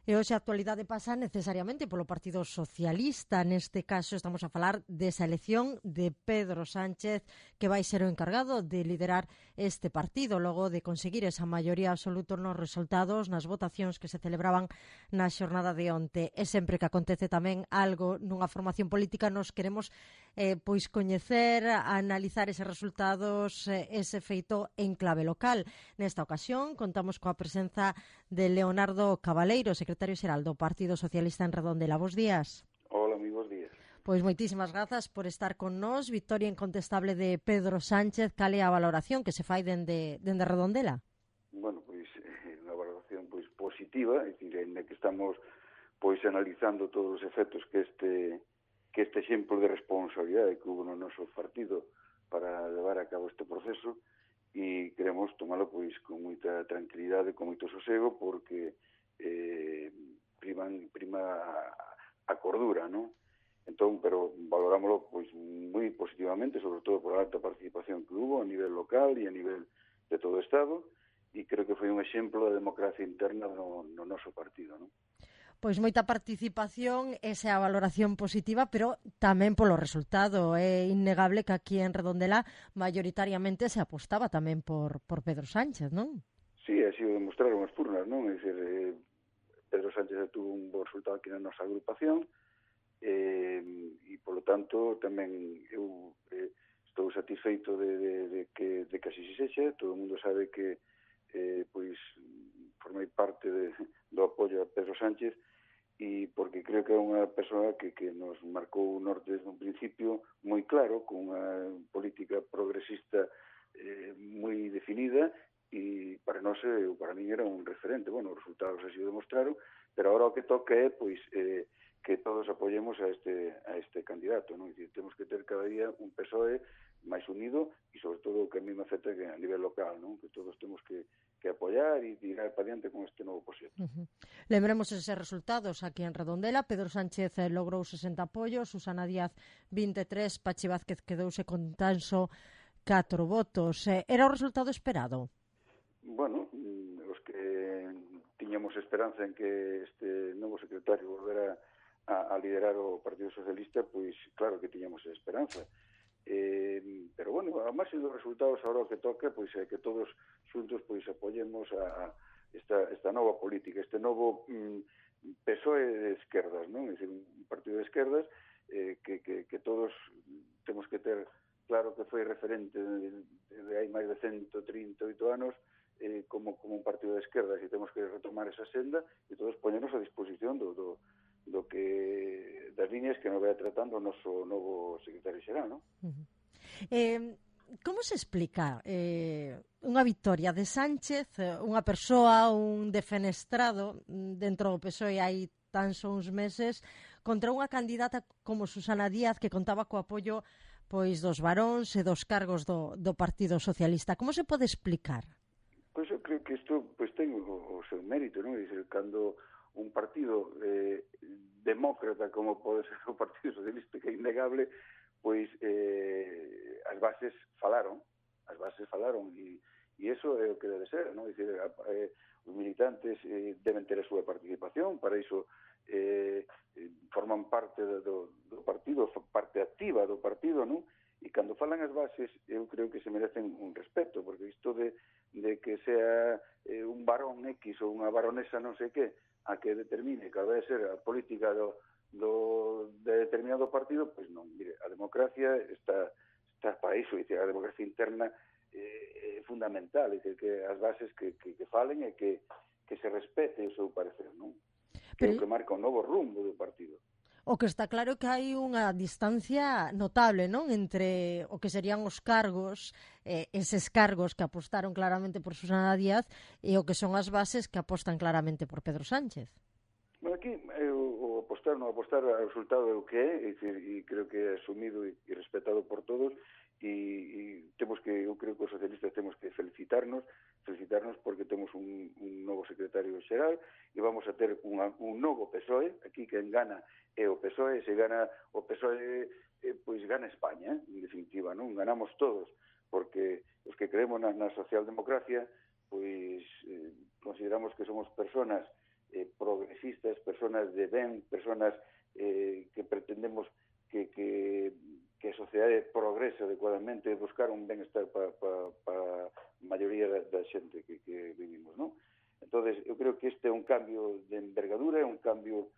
E hoxe a actualidade pasa necesariamente polo Partido Socialista. Neste caso estamos a falar desa elección de Pedro Sánchez, que vai ser o encargado de liderar este partido logo de conseguir esa maioría absoluta nos resultados nas votacións que se celebraban na xornada de onte. E sempre que acontece tamén algo nunha formación política nos queremos pois coñecer, analizar eses resultados, ese feito en clave local. Nesta ocasión contamos coa presenza de Leonardo Cabaleiro, secretario xeral do Partido Socialista en Redondela. Bos días. Hola, moi bos días. Pois moitísimas grazas por estar con nós. Victoria incontestable de Pedro Sánchez. Cal é a valoración que se fai dende Redondela? Bueno, pois unha valoración pois positiva, é dicir, en que estamos pois analizando todos os efectos que este exemplo de responsabilidade que hubo no noso partido para levar a cabo este proceso, e queremos tomalo pois con moita tranquilidade, con moito sosego, porque prima a cordura, non? Entón, pero valorámoslo pois moi positivamente, sobre todo por a alta participación que hubo a nivel local e a nivel de todo o Estado, e creo que foi un exemplo de democracia interna no noso partido, non? Pois moita participación, esa é a valoración positiva, pero tamén polo resultado. É innegable que aquí en Redondela maioritariamente se apostaba tamén por Pedro Sánchez, non? Sí, así o demostraron as turnas, non? É dicir, Pedro Sánchez tuvo un bo resultado aquí na nosa agrupación, e polo tanto tamén eu estou satisfeito de que así se sexa. Todo o mundo sabe que pois formei parte do apoio a Pedro Sánchez, e porque creo que é unha persoa que nos marcou o norte desde un principio moi claro, con unha política progresista moi definida, e para nós, para mí era un referente. Bueno, os resultados así o demostraron, pero agora o que toca é pois que todos apoyemos a este candidato, non? E temos que ter cada día un PSOE máis unido, e sobre todo o que a mí me afecta que a nivel local, non? Que todos temos que apoiar e tirar para diante con este novo proxecto. Lembremos eses resultados aquí en Redondela. Pedro Sánchez logrou 60 apoios, Susana Díaz 23, Pachi Vázquez quedouse con tan só 4 votos. Era o resultado esperado? Bueno, os que tiñamos esperanza en que este novo secretario volvera a liderar o Partido Socialista, pois claro que tiñamos esperanza. Pero bueno, a máis dos resultados, agora o que toca pois é que todos xuntos pois apoyemos a esta nova política, este novo PSOE de esquerdas, non? É dicir, un partido de esquerdas que todos temos que ter claro que foi referente de hai máis de 138 anos como un partido de esquerdas, e temos que retomar esa senda e todos poñernos a disposición do que das líneas que nos vai tratando o noso novo secretario xeral, non? Como se explica unha victoria de Sánchez, unha persoa, un defenestrado dentro do PSOE hai tan só uns meses, contra unha candidata como Susana Díaz, que contaba co apoio pois dos varóns e dos cargos do Partido Socialista? Como se pode explicar? Pois eu creo que isto pois ten o seu mérito, non? É dicir, cando un partido demócrata como pode ser o Partido Socialista, que é innegable, pois as bases falaron, e iso é o que debe ser, non? É dicir, os militantes deben ter a súa participación, para iso forman parte do partido, parte activa do partido, non? E cando falan as bases, eu creo que se merecen un respeto, porque isto de que sea un varón X ou unha baronesa non sei que, a que determine que vai ser a política de determinado partido, pois non. Mire, a democracia está para iso, a democracia interna é fundamental, é que as bases que falen e que se respete o seu parecer, non? Que é o que marca un novo rumbo do partido. O que está claro é que hai unha distancia notable, non? Entre o que serían os cargos, eses cargos que apostaron claramente por Susana Díaz, e o que son as bases que apostan claramente por Pedro Sánchez. Bueno, aquí o apostar, non apostar, o resultado é o que é, e creo que é asumido e respetado por todos, e temos que, eu creo que os socialistas temos que felicitarnos porque temos un novo secretario xeral, e vamos a ter un novo PSOE. Aquí quen gana é o PSOE, se gana o PSOE, pois gana España, en definitiva, non? Ganamos todos, porque os que creemos na socialdemocracia, pois consideramos que somos personas progresistas, personas de ben, personas que pretendemos que a sociedade progrese adecuadamente, buscar un benestar para a maioría da xente que vivimos, non? Entonces, eu creo que este é un cambio de envergadura, é un cambio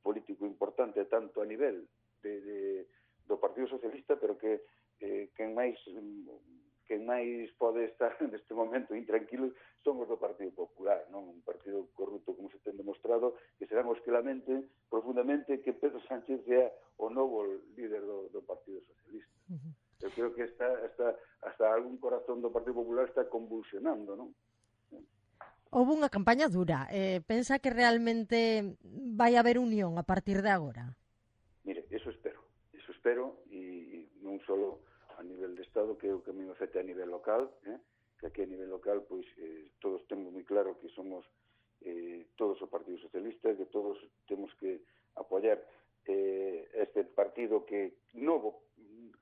político importante tanto a nivel do Partido Socialista, pero que quen máis pode estar neste momento intranquilos son os do Partido Popular, non? Un partido corrupto, como se ten demostrado, que serán os que lamenten profundamente que Pedro Sánchez sea o novo líder do Partido Socialista. Eu creo que hasta algún corazón do Partido Popular está convulsionando, non? Houve unha campaña dura. Pensa que realmente vai haber unión a partir de agora? Mire, eso espero, e non só a nivel de Estado, que é o que me afecta a nivel local, que aquí a nivel local, pois, todos temos moi claro que somos todos o Partido Socialista, que todos temos que apoiar este partido que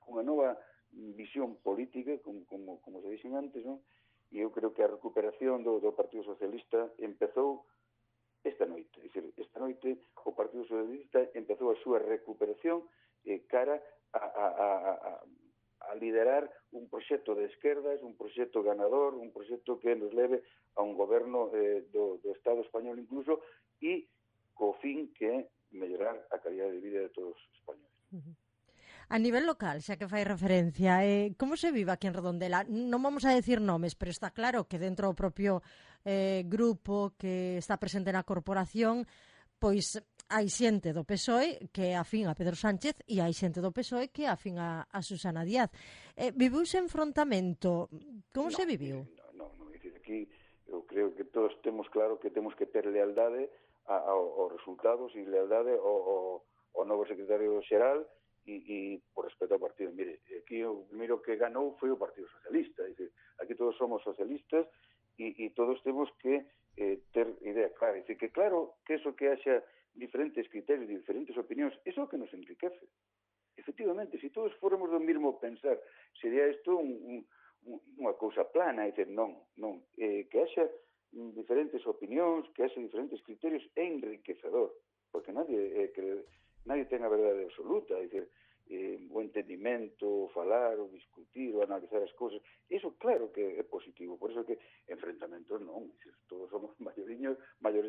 cunha nova visión política, como se dixen antes, non? E eu creo que a recuperación do Partido Socialista empezou esta noite. É dicir, esta noite o Partido Socialista empezou a súa recuperación cara a liderar un proxecto de esquerdas, un proxecto ganador, un proxecto que nos leve a un goberno do Estado español incluso, e co fin que é mellorar a calidad de vida de todos os españoles. A nivel local, xa que fai referencia, como se vive aquí en Redondela? Non vamos a decir nomes, pero está claro que dentro do propio grupo que está presente na corporación, pois hai xente do PSOE que é afín a Pedro Sánchez e hai xente do PSOE que é afín a Susana Díaz. Viviuse enfrontamento? Como se viviu? Non, aquí eu creo que todos temos claro que temos que ter lealdade aos resultados e lealdade ao novo secretario xeral e por respeto ao partido. Mire, aquí o primeiro que ganou foi o Partido Socialista. É dicir, aquí todos somos socialistas e todos temos que ter idea clara. É dicir, que claro que eso que haxa diferentes criterios, diferentes opinións, eso é o que nos enriquece. Efectivamente, se todos fóramos do mesmo pensar, sería isto unha cousa plana. É dicir, non. Que haxa diferentes opinións, que haxa diferentes criterios é enriquecedor, porque nadie ten a verdade absoluta. É dicir, o entendimento, o falar, o discutir, o analizar as cousas, iso claro que é positivo. Por iso que enfrentamentos non, todos somos maiores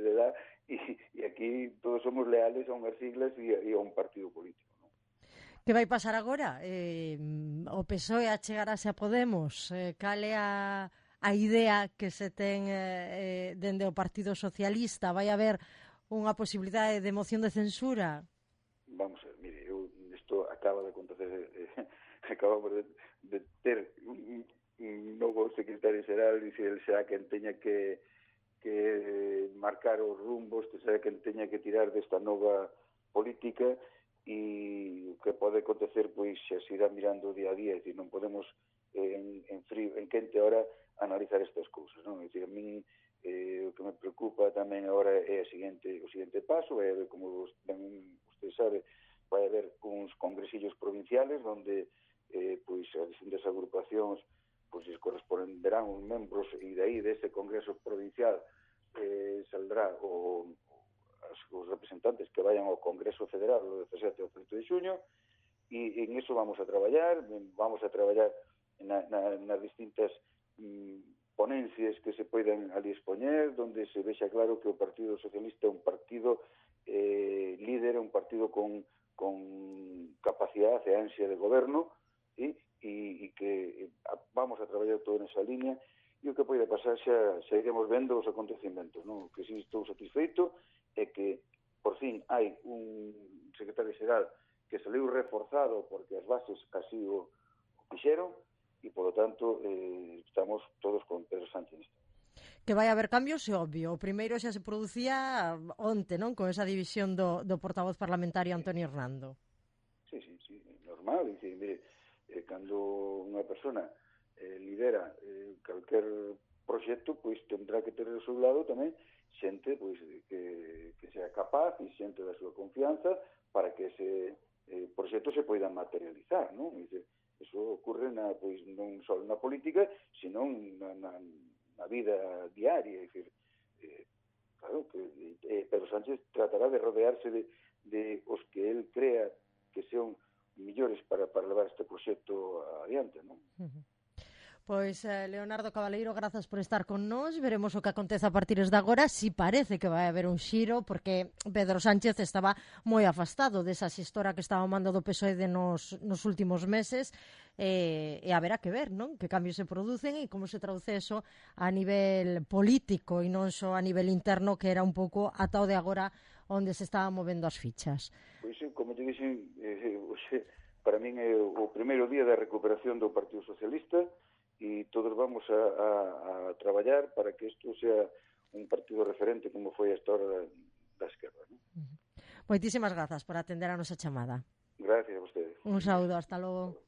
de edad e aquí todos somos leales a unhas siglas e a un partido político, non? Que vai pasar agora? O PSOE achegarase a Podemos? Cal é a idea que se ten dende o Partido Socialista? Vai haber unha posibilidade de moción de censura? Vamos a ver, mire, isto acaba de acontecer, acabamos de ter un novo secretario xeral, e se el será quen teña que marcar os rumbos, que será quen teña que tirar desta nova política, e o que pode acontecer, pois, xa se irá mirando día a día. É dicir, non podemos en quente hora analizar estas cousas, non? É dicir, a min o que me preocupa tamén agora é o seguinte paso, é ver como usted sabe, vai haber uns congresillos provinciales onde pois as distintas agrupacións pois les corresponderán uns membros, e de aí dese congreso provincial saldrá os representantes que vayan ao Congreso Federal o 17 e o 18 de xuño, e en eso vamos a traballar nas distintas ponencias que se poidan ali expoñer, donde se vexa claro que o Partido Socialista é un partido líder, un partido con capacidade e ansia de goberno, e que vamos a traballar todo nesa línea, e o que pode pasar xa iremos vendo os acontecimentos, non? O que si estou satisfeito é que por fin hai un secretario xeral que saliu reforzado porque as bases así o fixeron, e, polo tanto, estamos todos con Pedro Sánchez. Que vai haber cambios, é obvio. O primeiro xa se producía onte, non? Con esa división do portavoz parlamentario Antonio Hernando. Sí, normal. Dice, mire, cando unha persona lidera calquer proxecto, pois tendrá que ter ao seu lado tamén xente pois que sea capaz e xente da súa confianza para que ese proxecto se poida materializar, non? Dice, eso ocurre pois non só na política, sino na vida diaria. É dicir, claro, que Pedro Sánchez tratará de rodearse de os que él crea que son millores para levar este proxecto adiante, non? Pois, Leonardo Cabaleiro, grazas por estar con nós. Veremos o que acontece a partir de agora. Si parece que vai haber un xiro, porque Pedro Sánchez estaba moi afastado desa xestora que estaba ao mando do PSOE nos últimos meses, e haberá que ver, non? Que cambios se producen e como se traduce eso a nivel político e non só a nivel interno, que era un pouco ata o de agora onde se estaban movendo as fichas. Pois, como te dixen, para min é o primeiro día da recuperación do Partido Socialista, e todos vamos a traballar para que isto sea un partido referente como foi a história da esquerda, ¿no? Moitísimas grazas por atender a nosa chamada. Gracias a vostedes. Un saúdo, hasta logo.